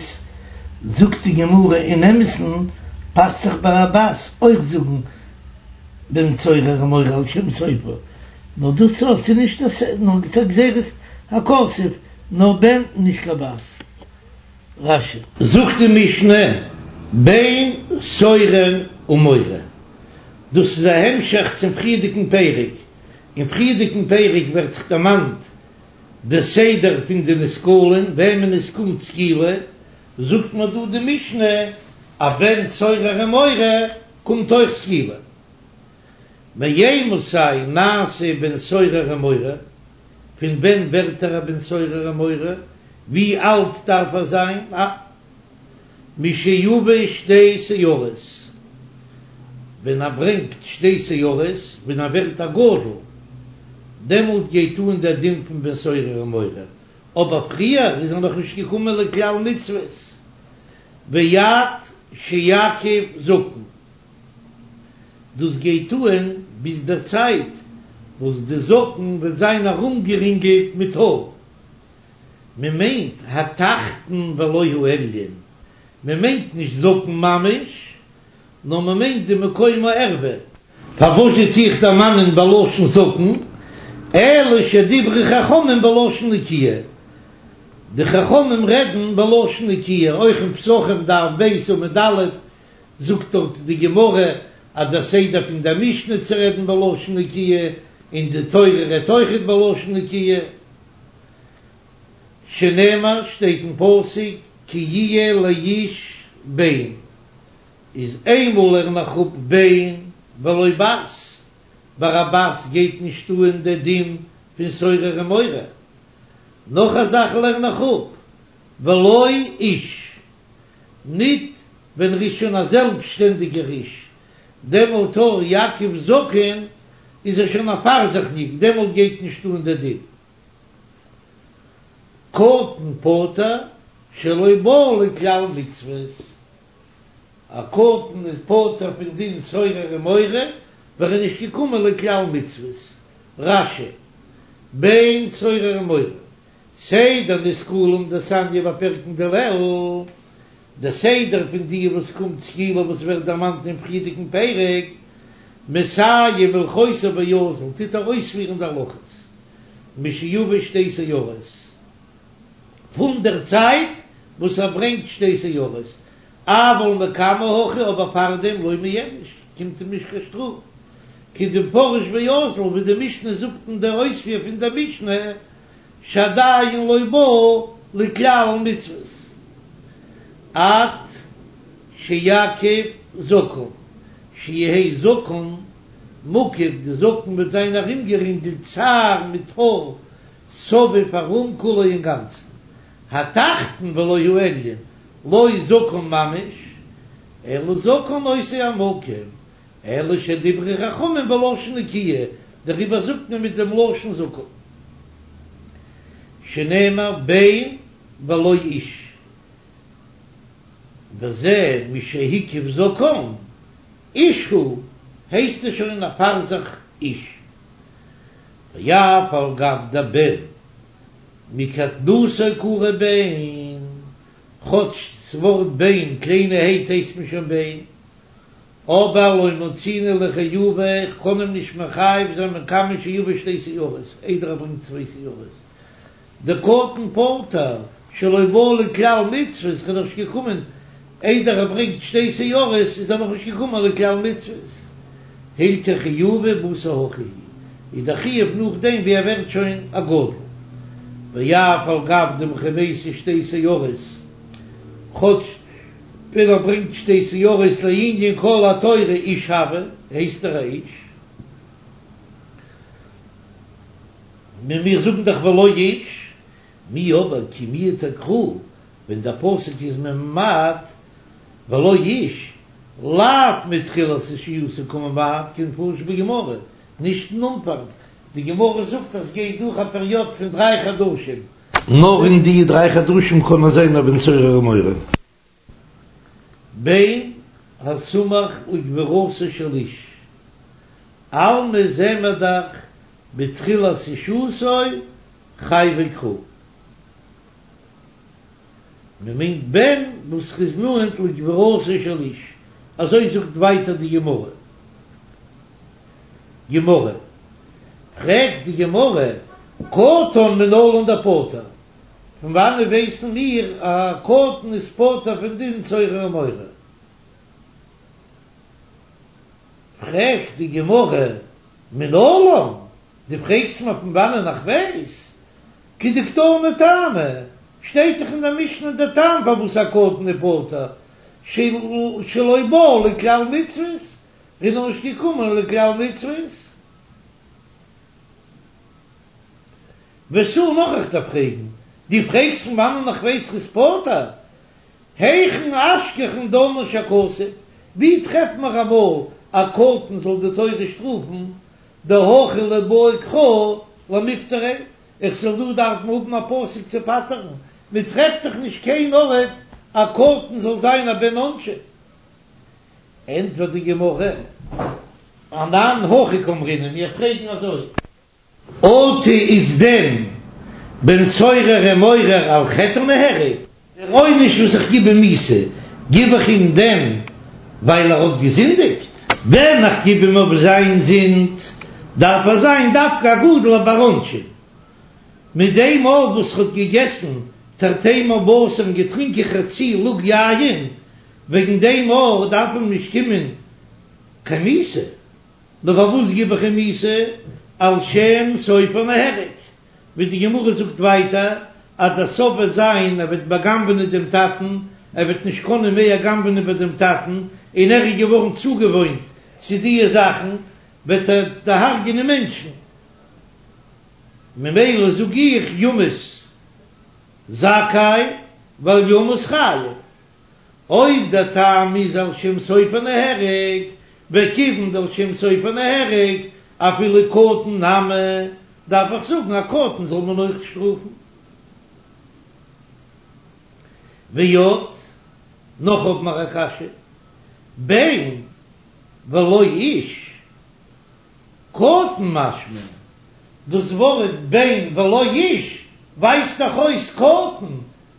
זאגט די גמרא אין אמת'ן פאסט זיך ביי א בת אויך זאגן בן סורר ומורה על שם סופו, נאר דאס אויך ס'איז נישט נאר גזירת הכתוב נאר בן נישט קיין בת. רש"י. זאגט די משנה בן סורר ומורה, דאס איז א המשך צום פריערדיגן פרק, אין פריערדיגן פרק ווערט זיך דערמאנט די סדר פון די נסקלין וועמען עס קומט סקילה, זאגט מיר דא די משנה א בן סורר ומורה קומט אויך סקילה. מאימתי נעשה בן סורר ומורה? פון ווען ווערט ער א בן סורר ומורה? ווי אלט דארף ער זיין? משיביא שתי שערות, ווען ער ברענגט שתי שערות, ווען ער ווערט א גדול, דעמאלט גייט אן דער דין פון בן סורר ומורה, אבער פריער איז ער נאך נישט געקומען לכלל מצוות, ועד שיקיף זקן, דאס גייט אן ביז דער צייט וואס די זקן וועט זיין ארומגערינגלט מיט האר. מען מיינט התחתון ולא העליון, מען מיינט נישט זקן ממש, נאר מען מיינט די מקום הערווה. פארוואס טו איך דערמאנען בלשון זקן, אלא שדברו חכמים בלשון נקיה, די חכמים רעדן בלשון נקיה, אויך אין פסחים דף ב' עמוד א' זאגט דארט די גמרא אז דער סדר פון דער משנה צו רעדן בלשון נקיה, און די תורה רעדט אויכעט בלשון נקיה. שנאמר שטייט אין פסוק כי יהיה לאיש בן, איז איינמאל לערן איך אפ בן ולא בת, ביי א בת גייט נישט אהן די דין פון סורר ומורה, נאך א זאך לערן איך אפ ולא איש, ניט ווען ר'איז שוין א זעלבסשטענדיגער איש, דעמאלט אויך יקיף זקן איז ער שוין א פארזיכניק, דעמאלט גייט נישט אהן די דין. קטן פטור שלא בא לכלל מצוות, א קטן איז פטור פון דין סורר ומורה ווייל ער איז נישט געקומען לכלל מצוות. רש"י, בן סורר ומורה, סדר נסקלים דתניא בפרקין דלעיל, דער סדר פון די וואס קומט סקילה וואס ווערט דערמאנט אין פריערדיגן פרק, מסיים הלכותיו ואזיל, טוט ער אויספירן די הלכות, משיביא שתי שערות, פון דער צייט וואס ער ברענגט שתי שערות, אבל מקמי הכי אבער פארדעם לא מיענש, קומט אים נישט קיין שטראף, כדמפרש ואזיל ווי די משנה זאגט אין דער אויספיר פון דער משנה, שעדיין לא בא לכלל מצוות עד שיקיף זקן, שיהא זקן מקיף, די זקן וועט זיין ארומגערינגלט שער מיט האר סביב ארום כולו אינגאנצן, התחתון ולא העליון, לא זקן ממש, אלא זקן אותו המקום, אלא שדברו חכמים בלשון נקיה, דעריבער זאגט מען מיט דעם לשון זקן, שנאמר בן ולא איש, וזה משהקיף זקן, איש הוא, הייסט עס שוין א פאר זיך איש. ואף על גב דבן מקטנותו קרוי בן, כאטש ס'ווארט בן קליינערהייט הייסט מען שוין בן, אבער לא מצינהו לחיובא, איך קען אים נישט מחייב זיין מקמי שיביא שתי שערות, איידער ער ברענגט צוויי שערות. דקטן פטור שלא בא לכלל מצוות, איז נאך נישט געקומען, איידער ער ברענגט שתי שערות איז ער נאך נישט געקומען לכלל מצוות. הלכך חיובא בתר הכי איז דער חיוב נאכדעם ווי ער ווערט שוין א גדול. ואף על גב דמכי מייתי שתי שערות, כאטש ווען ער ברענגט שתי שערות לענין כל התורה איש הוי, הייסט ער א איש. מיר זאגן דאך ולא איש, מיהו אבער כי מיעטה קרא, ווען דער פסוק איז ממעט ולא איש, לאו מתחילת אישיותו קא ממעט כדמפרש בגמרא, נישט אין אנפאנג, די גמרא זאגט אז ס'גייט דורך א פעריאד פון דריי חדשים. נאר אין די דריי חדשים קען ער זיין א בן סורר ומורה. בן הסמוך לגבורתו של איש, אלמא זעט מען דאך בתחילת אישותו חייביה קרא. מען מיינט בן וואס איז נאנט לגבורתו של איש, אזוי זאגט ווייטער די גמרא. גמרא, פרעגט די גמרא, קטן מנלן דפטור, פון וואנעט ווייסן מיר אז א קטן איז פטור פון דין סורר ומורה? פרעגט די גמרא, מנלן, דו פרעגסט מיר פון וואנען איך ווייס? כדקתני טעמא, שטייט דאך אין דער משנה דער טעם פארוואס א קטן איז פטור, שלא בא לכלל מצוות, איז נאך נישט געקומען לכלל מצוות. ותו נאך איך דארף פרעגן, דו פרעגסט פון וואנען איך ווייס ר'איז פטור? היכן אשכחן דנש הכתוב, ווי טרעפט מיר אמאל א קטן זאל די תורה שטראפן, דהכי ליבעי קרא למיפטריה, איך זאל דא דארפן האבן א פסוק צו פטר'ן, מען טרעפט דאך נישט קיין ארט א קטן זאל זיין א בן עונשין. ענטפערט די גמרא, אנן הכי קאמרינן, מיר פרעגן אזוי. אטו איז דען בן סורר ומורה על חטא נהרג? דער עונש וואס איך גיב אים מיתה, גיב איך אים דען ווייל ער האט געזינדיגט? ווען איך גיב אים אויף זיין זינד, דארף ער זיין דווקא א גדול א בר עונשין. מיט דעם אויף וואס ער האט געגעסן תרתי בשר און געטרינקען חצי לוג יין, וועגן דעם אויך דארף אים נישט קומען קיין מיתה. נאר פארוואס גיב איך אים מיתה? על שם סופו נהרג, ווי די גמרא זאגט ווייטער אז דער סוף וועט זיין ער וועט בא'גנב'ענען דעם טאטן, ער וועט נישט קענען מער גנב'ענען ביי דעם טאטן, און ער איז געווארן צוגעוואוינט צו דיע זאכן, וועט ער דערהרג'ענען מענטשן. ממילא זאג איך ימות זכאי ואל ימות חייב. אויב דער טעם איז על שם סופו נהרג, וכיוון דעל שם סופו נהרג, אפילו קטן נמי, דארף איך זאגן א קטן זאל מען אויך שטראפן. ועוד, נאך האב מיר א קשיא, בן ולא איש, קטן משמע, דאס ווארט בן ולא איש ווייזט דאך אויס קטן,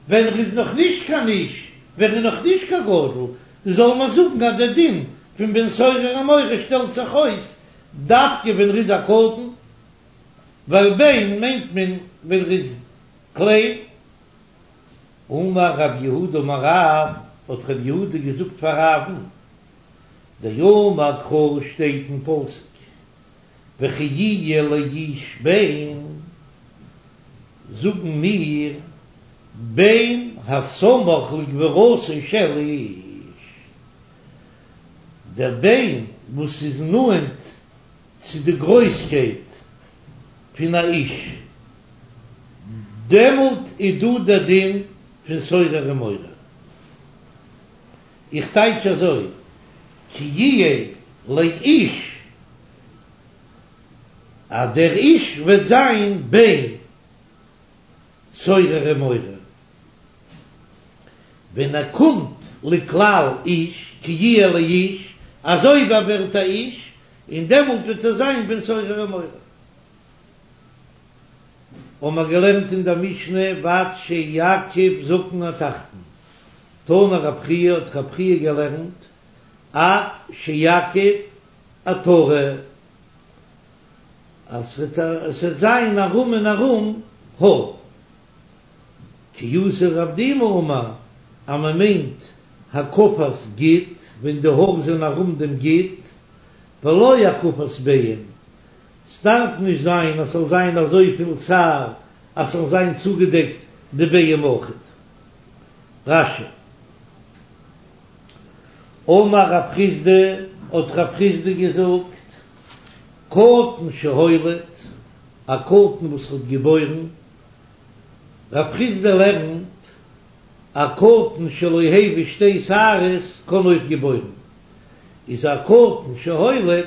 ווען ער איז נאך נישט קיין איש, ווען ער איז נאך נישט קיין גדול, זאל מען זאגן אז דער דין פון בן סורר ומורה שטעלט זיך אויס דווקא ווען ער איז א קטן, ווייל בן מיינט מען ווען ער איז קליין. אמר רב יהודה אמר רב, האט רב יהודה געזאגט פאר רב'ן, דאמר קרא שטייט אין פסוק וכי יהיה לאיש בן, זאגן מיר בן הסמוך לגבורתו של איש, דער בן וואס איז נאנט צו די גרויסקייט פון א איש, דעמאלט איז דא דער דין פון סורר ומורה. איך טייטש אזוי, כי יהיה לאיש, אז דער איש וועט זיין בן סורר ומורה, ווען ער קומט לכלל איש, כי יהיה לאיש, אזוי ווי ער ווערט א איש, און דעמאלט וועט ער זיין בן סורר ומורה. האבן מיר געלערנט אין דער משנה ועד שיקיף זקן התחתון, תנא רב חייא האט רב חייא געלערנט עד שיקיף עטרה, אז ס'וועט זיין ארום און ארום האר. כי אתא רב דימי אמר אז מען מיינט הקפת גיד ווען די האר זענען ארום דעם גיד, ולא הקפת ביעים, ס'דארף נישט זיין אז ס'זאל זיין אזויפיל שער אז ס'זאל זיין צוגעדעקט די ביעים אויכעט. רש"י. אמר רב חסדא, האט רב חסדא געזאגט, קטן שהוליד, א קטן וואס האט געבוירן, רב חסדא לערנט, א קטן שלא הביא שתי שערות קען אויך געבוירן, איז א קטן שהוליד,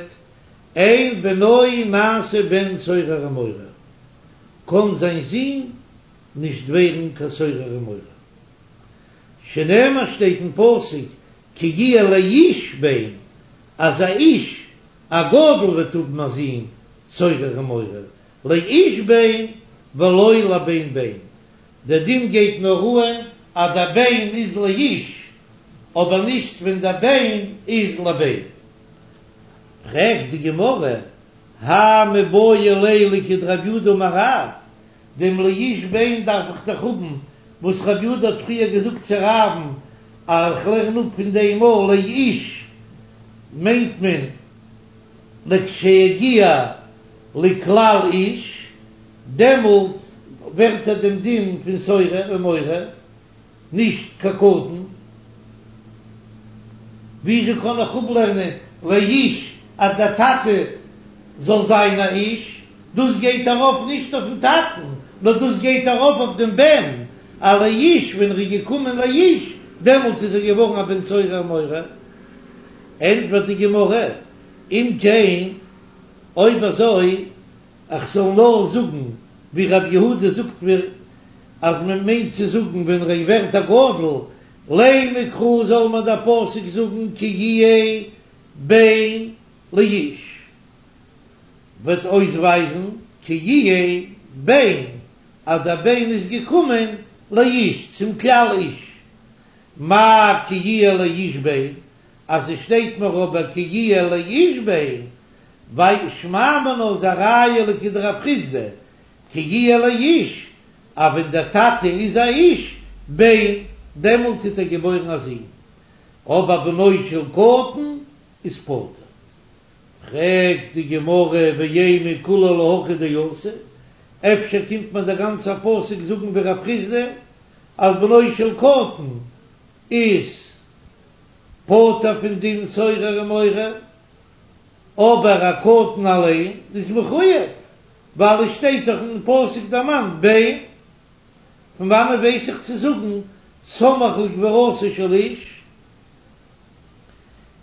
אין בנו נעשה בן סורר ומורה, קען זיין זון נישט ווערן קיין סורר ומורה. שנאמר שטייט אין פסוק כי יהיה לאיש בן, אז א איש א גדול וועט האבן א זון סורר ומורה, לאיש בן ולא לבן בן, דער דין גייט נאר אן אז דער בן איז לאיש, אבער נישט ווען דער בן איז לבן. פרעגט די גמרא, האי מיבעי ליה לכדרב יהודה אמר רב, דעם לאיש בן דארף איך דאך האבן, וואס רב יהודה האט פריער געזאגט צו רב'ן אז איך לערן אפ פון דעם א לאיש מיינט מען לכשיגיע לכלל איש, דעמאלט ווערט ער דעם דין פון סורר ומורה, נישט קיין קטן. וויאזוי קען איך אפלערנען לאיש אז דער טאטע זאל זיין א איש? דאס גייט ארויף נישט אויפן טאטן, נאר דאס גייט ארויף אויף דעם בן, א לאיש, ווען ער איז געקומען לאיש, דעמאלט איז ער געווארן א בן סורר ומורה. ענטפערט די גמרא, אם כן, אויב אזוי, איך זאל נאר זאגן ווי רב יהודה זאגט מיר אז מען מיינט צו זאגן ווען ער ווערט א גדול, לימא קרא זאל מיר דער פסוק זאגן כי יהיה בן לאיש, וועט אויסווייזן כי יהיה בן אז דער בן איז געקומען לאיש צום כלל איש, מאי כי יהיה לאיש בן, אז עס שטייט מיר אבער כי יהיה לאיש בן, ווייל שמע מינה איז א ראיה לכדרב חסדא, כי יהיה לאיש, אז ווען דער טאטע איז א איש, בן, דעמאלט טוט ער געבוירן א זון, אבער בנו של קטן איז פטור. פרעגט די גמרא ואימא כולה להכי דאתא, אפשר קומט מיר דער גאנצער פסוק זאגן ווי רב חסדא אז בנו של קטן איז פטור פון דין סורר ומורה, אבער א קטן אליין איז מחויב, ווייל עס שטייט דאך אין פסוק דערמאנט בן, פון וואנען ווייס איך צו זאגן סמוך לקבורתו של איש?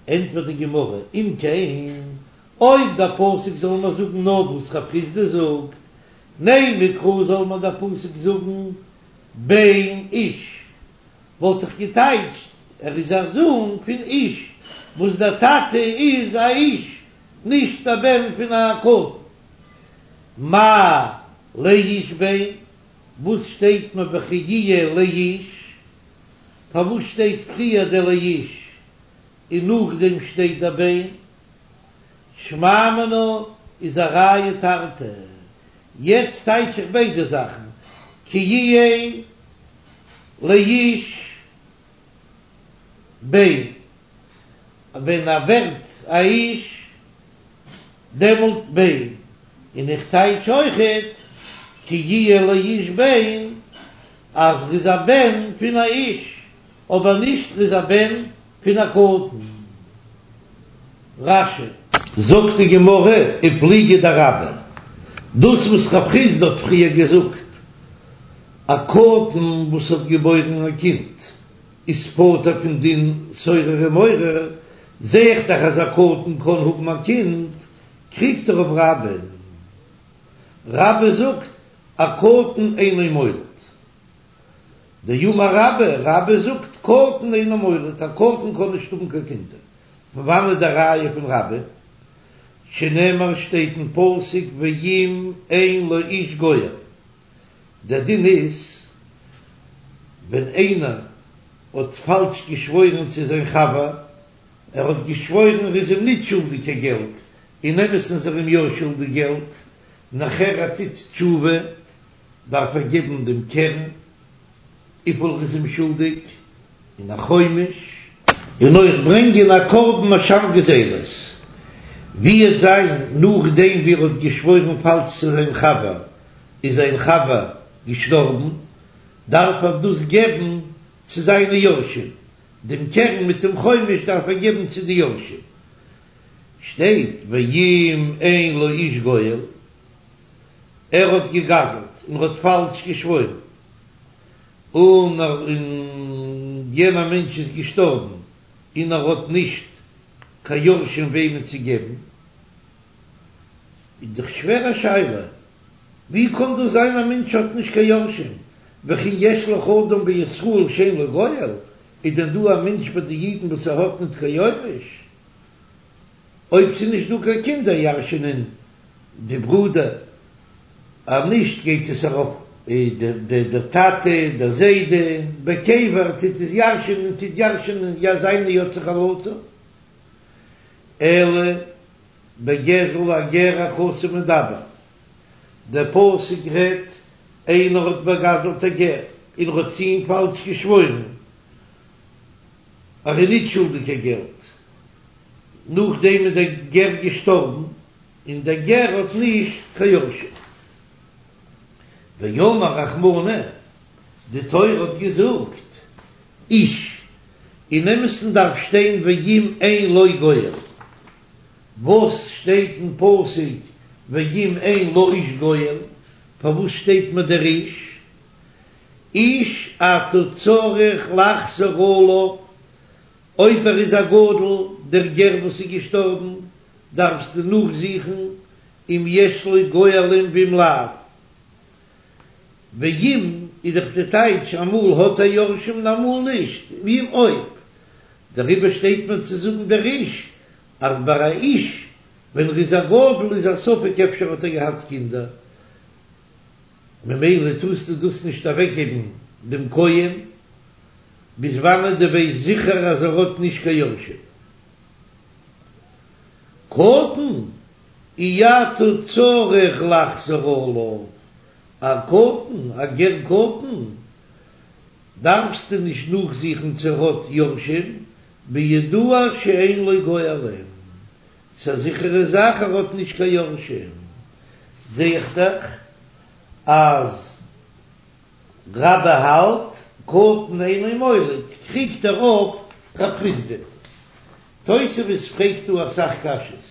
ענטפערט די גמרא, אם כן, אויב דער פסוק זאל מיר זאגן נאר וואס רב חסדא זאגט, נימא קרא זאל מיר דער פסוק זאגן בן איש, וואלט איך געטייטשט ער איז א זון פון איש וואס דער טאטע איז א איש, נישט א בן פון א קטן. מאי לאיש בן, וואס שטייט מיר וכי יהיה לאיש? פארוואס שטייט פריער דער לאיש און נאכדעם שטייט דער בן? שמע מינה איז א ראיה תרתי. יעצט טייטש איך ביידע זאכן, כי יהיה לאיש בן, ווען ער ווערט א איש דעמאלט בן, און איך טייטש אויכעט כי יהיה לאיש בן אז ר'איז א בן פון א איש, אבער נישט ר'איז א בן פון א קטן. רש"י. זאגט די גמרא ופליגא דרבה, דאס וואס רב חסדא האט פריער געזאגט, א קטן וואס האט געבוירן א קינד איז פטור פון דין סורר ומורה, זע איך דאך אז א קטן קען האבן א קינד, קריגט ער אויף רבה'ן. רבה זאגט א קטן אינו מוליד. דאמר רבה, רבה זאגט קטן אינו מוליד, א קטן קען נישט האבן קיין קינדער. פון וואנעט די ראיה פון רבה? שנאמר שטייט אין פסוק ואם אין לאיש גואל. דער דין איז ווען איינער האט פאלש געשוואוירן צו זיין חבר, ער האט געשוואוירן ער איז אים ניט שולדיג קיין געלט, אין אמת'ן איז ער אים יא שולדיג געלט, נאכער ער טוט תשובה דארף ער געבן דעם קרן וויפיל ער איז אים שולדיג, און א חומש, און אויך ברענגען א קרבן אשם גזילות, ווי וועט זיין נאכדעם ווי ער האט געשוואוירן פאלש צו זיין חבר, איז זיין חבר געשטארבן, דארף ער דאס געבן צו זיינע יורשים, דעם קרן מיט דעם חומש דארף ער געבן צו די יורשים. שטייט ואם אין לאיש גואל, ער האט געגזלט און ער האט פאלש געשוואוירן, און יענער מענטש איז געשטארבן און ער האט נישט קיין יורשים וועמען צו געבן, איז דאך שווער א שאלה, ווי קען דאס זיין א מענטש האט נישט קיין יורשים, וכי יש לך אדם בישראל שאין לו גואל, איז דען דא א מענטש ביי די אידן וואס ער האט ניט קיין יורש? אויב ס'איז נישט דא קיין קינדער ירש'נען די ברודער, אז נישט גייט עס ארויף דער טאטע, דער זיידע, בקבר טוט עס ירש'נען, טוט ירש'נען זיינע יוצאי חלציו, אלא בגזל הגר הכתוב מדבר, דער פסוק רעדט איינער האט באגזלט א גר און ער האט צו אים פאלש געשוואוירן אז ער איז ניט שולדיג קיין געלט, נאכדעם איז דער גר געשטארבן און דער גר האט נישט קיין יורשים. ואמר רחמנא, די תורה האט געזאגט, איש, אין אמת'ן דארף שטיין ואם אין לו גואל, וואס שטייט אין פסוק ואם אין לאיש גואל? פארוואס שטייט מיר דער איש? איש אתה צריך לחזור עליו, אויב ער איז א גדול, דער גר וואס איז געשטארבן, דארפסטו נאכזוכן אם יש לו גואלים ואם לאו. ואם איז דאך די טייטש אמאל האט ער יורשים און אמאל נישט, ואם אויב. דעריבער שטייט מיר צו זאגן דער איש, אז ביי א איש ווען ער איז א גדול איז א ספק אפשר האט ער געהאט קינדער, ממילא טארסטו דאס נישט אוועקגעבן דעם כהן ביז וואנעט דו ווייסט זיכער אז ער האט נישט קיין יורשים. קטן אי אתה צריך לחזור עליו, א קטן, א גר קטן, דארפסטו נישט נאכזוכן צו ער האט יורשים, בידוע שאין לו גואלים, ס'איז א זיכערע זאך ער האט נישט קיין יורשים, זע איך דאך אז רבה האלט קטן אינו מוליד, קריגט ער אויף רב חסדא. תוספות פרעגט דא אסאך קשיות,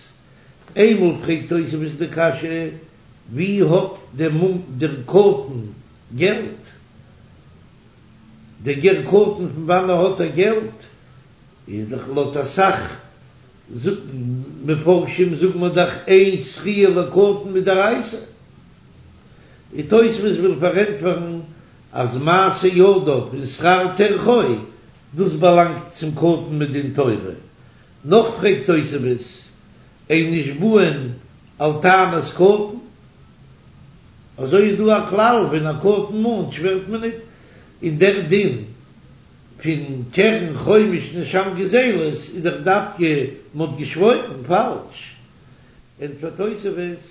איינמאל פרעגט תוספות די קשיא, ווי האט דער קטן געלט? דער גר קטן פון וואנען האט ער געלט? איז דאך לויט אסאך מפרשים זאגט מען דאך אין זכיה לקטן מדאורייתא. און תוספות וויל פארענטפערן אז מעשה ידיו און שכר טרחו דאס באלאנגט צום קטן מדין תורה. נאך פרעגט תוספות אין נשבעין על טענת קטן, אזוי איז דא א כלל ווען א קטן מאנט שווערט מען ניט, און דער דין פון קרן חומש און אשם גזילות איז דאך דווקא מ'האט געשוואוירן פאלש. ענטפערט תוספות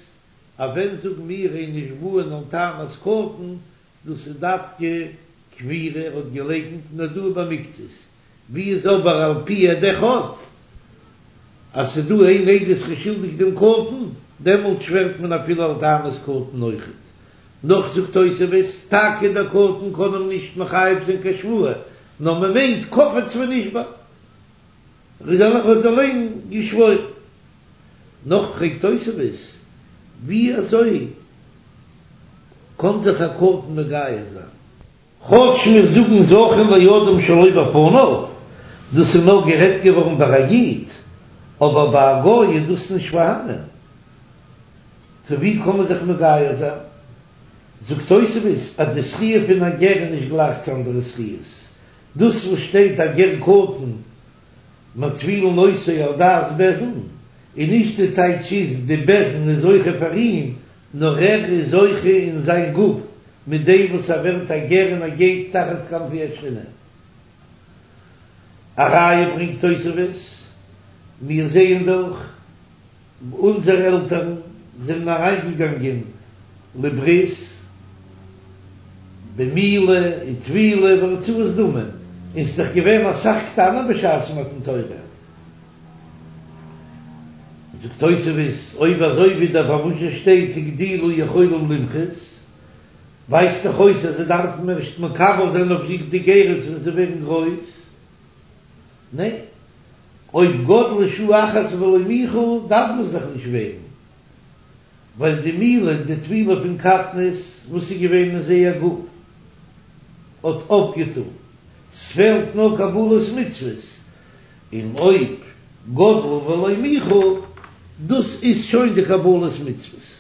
אז ווען זאגן מיר אין נשבעין על טענת קטן, דאס איז דווקא כפירה ער האט געלייקנט און הודאה במקצת, ווי איז אבער על פי עד אחד אז ס'איז דא איין עדות ר'איז שולדיג דעם קטן, דעמאלט שווערט מען אפילו על טענת קטן אויכעט. נאך זאגט תוספות, טאקע דער קטן קען אים נישט מחייב זיין קיין שבועה, נאר מ'מיינט קפץ ונשבע, ער האט אליין געשוואוירן. נאך פרעגט תוספות, ווי אזוי קען זיך א קטן מגייר זיין? כאטש מיר זאגן זכין לאדם שלא בפניו, דאס איז נאר גערעדט געווארן ביי א איד, אבער ביי א גוי איז דאס נישט פארהאנען, טא ווי קען מען זיך מגייר זיין? זאגט תוספות אז די זכיה פון א גר איז נישט גלייך צו אנדערע זכיות, דאס וואס שטייט א גר קטן מטבילין אותו על דעת בית דין, און נישט די טייטש איז די בית דין איז זוכה פאר אים, נאר ער איז זוכה אין זיין גוף מיט דעם וואס ער ווערט א גר און ער גייט תחת כנפי השכינה. א ראיה ברענגט תוספות, מיר זעען דאך אונזערע עלטערן זענען אריינגעגאנגען לברית במילה וטבילה והרצאת דמים, און ס'איז דאך געווען אסאך קטנים בשעת מתן תורה. זאגט תוספות, אויב אזוי ווידער פארוואס שטייט הגדילו יכולים למחות, ווייזט דאך אויס אז זיי דארפן ערשט מקבל זיין אויף זיך די גירות ווען זיי ווערן גרויס. ניין, אויב גדלו שעה אחת ולא מיחו דארף מען עס דאך נישט ווערן, ווייל די מילה און די טבילה פון קטנות וואס איז געווען אין זייער גוף האט אויפגעטון, ס'פעלט נאר קבלת מצוות, און אויב גדלו ולא מיחו דאס איז שוין די קבלת מצוות.